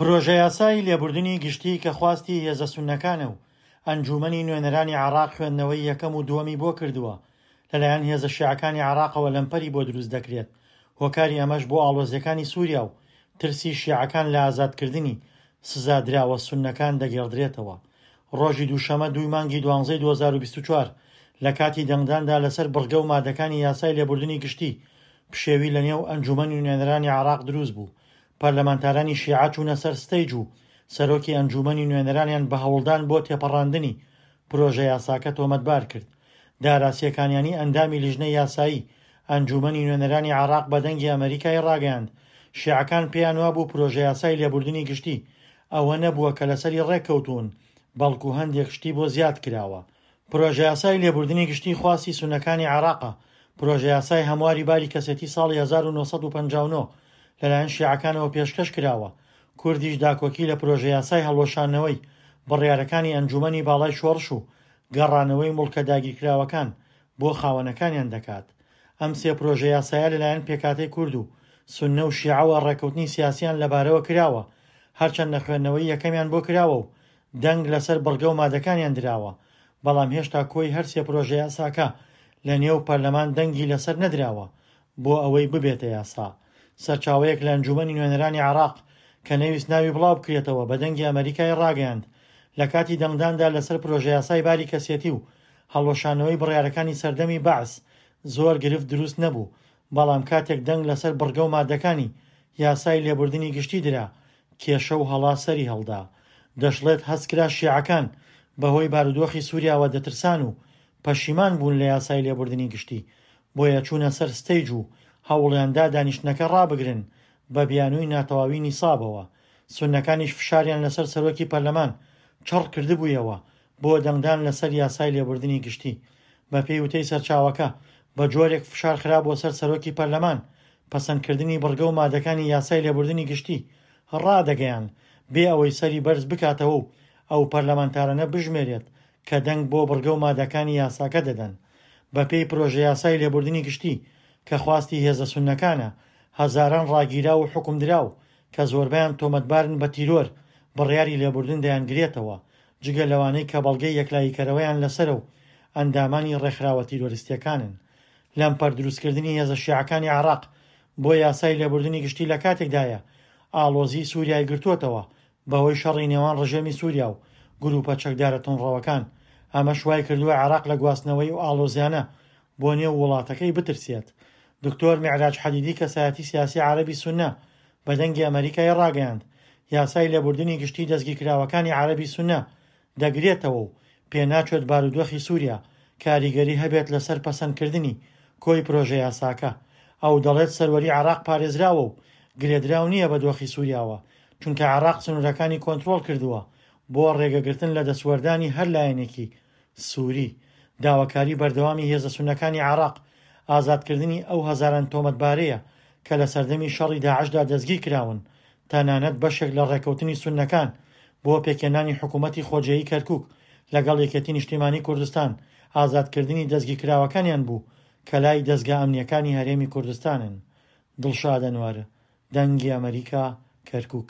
پرۆژەیاسای لێبوردنی گشتی کە خواستی هێزە سوننەکانە و ئەنجوومەنی نوێنەرانی عێراق خوێندنەوەی یەکەم و دووەمی بۆ کردووە، لەلایەن هێزە شیعەکانی عێراقەوە لەمپەری بۆ دروست دەکرێت، هۆکاری ئەمەش بۆ ئاڵۆزییەکانی سووریا و ترسی شیعەکان لە ئازادکردنی سزادراوە سوننەکان دەگێڕدرێتەوە. ڕۆژی دووشەمە دووی مانگی دوانزەی 2024 لە کاتی دەنگداندا لەسەر بڕگە و مادەکانی یاسای لێبوردنی گشتی، پشێوی لەنێو ئەنجوومەنی نوێنەرانی عێراق دروست بوو، پەرلەمانتارانی شیعە چوونە سەر ستەیج و سەرۆکی ئەنجوومەنی نوێنەرانیان بە هەوڵدان بۆ تێپەڕاندنی پرۆژەیاساکە تۆمەتبار کرد. دارا سێکانیانی ئەندامی لیژنەی یاسایی ئەنجوومەنی نوێنەرانی عێراق بە دەنگی ئەمەریکای ڕاگەیاند، شیعەکان پێیانوابوو پرۆژەیاسای لێبوردنی گشتی ئەوە نەبووە کە لەسەری ڕێککەوتوون، بەڵکو هەندێک شتی بۆ زیاد کراوە. پرۆژەیاسای لێبوردنی گشتی خواستی سوننەکانی عێراقە، پرۆژەیاسای هەمواری باری کەسێتی ساڵی 1959 لەلایەن شیعەکانەوە پێشکەش کراوە، کوردیش داکۆکی لە پرۆژەیاسای هەڵوەشاندنەوەی بڕیارەکانی ئەنجوومەنی باڵای شۆڕش و گەڕانەوەی موڵکە داگیرکراوەکان بۆ خاوەنەکانیان دەکات. ئەم سێ پرۆژەیاسایە لەلایەن پێکهاتەی کورد و سوننە و شیعەوە ڕێککەوتنی سیاسییان لەبارەوە کراوە، هەرچەندە خوێندنەوەی یەکەمیان بۆ کراوە و دەنگ لەسەر بڕگە و مادەکانیان دراوە، بەڵام هێشتا کۆی هەر سێ پرۆژەیاساکە لە نێو پەرلەمان دەنگی لەسەر نەدراوە بۆ ئەوەی ببێتە یاسا. سەرچاوەیەک لە ئەنجوومەنی نوێنەرانی عێراق کە نەیویست ناوی بڵاوبکرێتەوە بە دەنگی ئەمەریکای ڕاگەیاند، لە کاتی دەنگداندا لەسەر پرۆژەیاسای باری کەسێتی و هەڵوەشانەوەی بڕیارەکانی سەردەمی بەعس زۆر گرفت دروست نەبوو، بەڵام کاتێک دەنگ لەسەر بڕگە و مادەکانی یاسای لێبوردنی گشتی درا، کێشە و هەڵا سەری هەڵدا. دەشڵێت هەستکرا شیعەکان بەهۆی بارودۆخی سوریاوە دەترسان و پەشیمان بوون لە یاسای لێبوردنی گشتی، بۆیە چوونە سەر ستەیج و هەوڵیاندا دانیشتنەکە ڕابگرن بە بیانووی ناتەواوی نیسابەوە. سوننەکانیش فشاریان لەسەر سەرۆکی پەرلەمان چڕ کردبوویەوە بۆ دەنگدان لەسەر یاسای لێبوردنی گشتی. بەپێی وتەی سەرچاوەکە، بە جۆرێک فشار خرابووە سەر سەرۆکی پەرلەمان، پەسەندکردنی بڕگە و مادەکانی یاسای لێبوردنی گشتی ڕادەگەیاند، بێ ئەوەی سەری بەرز بکاتەوە و ئەو پەرلەمانتارانە بژمێرێت کە دەنگ بۆ بڕگە و مادەکانی یاساکە دەدەن. بەپێی پرۆژەیاسای لێبوردنی گشتی کە خواستی هێزە سوننەکانە، هەزاران ڕاگیراو و حوکمدراو کە زۆربەیان تۆمەتبارن بە تیرۆر، بڕیاری لێبوردن دەیانگرێتەوە، جگە لەوانەی کە بەڵگەی یەکلاییکەرەوەیان لەسەرە و ئەندامانی ڕێکخراوە تیرۆریستییەکانن. لەمپەر دروستکردنی هێزە شیعەکانی عێراق بۆ یاسای لێبوردنی گشتی لەکاتێکدایە ئاڵۆزیی سوریای گرتووەتەوە بەهۆی شەڕی نێوان ڕژێمی سوریا و گروپە چەکدارە توندڕەوەکان، ئەمەش وایکردووە عێراق لە گواستنەوەی ئەو ئاڵۆزیانە بۆ نێو وڵاتەکەی بترسێت. دکتۆر میعراج حەدیدی کەسایەتی سیاسی عەرەبی سوننە بە دەنگی ئەمەریکای ڕاگەیاند، یاسای لێبوردنی گشتی دەستگیرکراوەکانی عەرەبی سوننە دەگرێتەوە و پێناچێت بارودۆخی سوریا کاریگەری هەبێت لەسەر پەسەندکردنی کۆی پرۆژەیاساکە. ئەو دەڵێت سەروەری عێراق پارێزراوە و گرێدراو نییە بە دۆخی سوریاوە، چونکە عێراق سنوورەکانی کۆنترۆڵ کردووە بۆ ڕێگەگرتن لە دەستوەردانی هەر لایەنێکی سوری. داواکاری بەردەوامی هێزە سوننەکانی عێراق ئازادکردنی ئەو هەزاران تۆمەتبارەیە کە لە سەردەمی شەڕی داعشدا دەستگیرکراون، تەنانەت بەشێک لە ڕێککەوتنی سوننەکان بۆ پێکهێنانی حکوومەتی خۆجێیی کەرکووک لەگەڵ یەکێتی نیشتیمانی کوردستان ئازادکردنی دەستگیرکراوەکانیان بوو کە لای دەزگا ئەمنییەکانی هەرێمی کوردستانن. دڵشاد ئەنوەر، دەنگی ئەمەریکا، کەرکووک.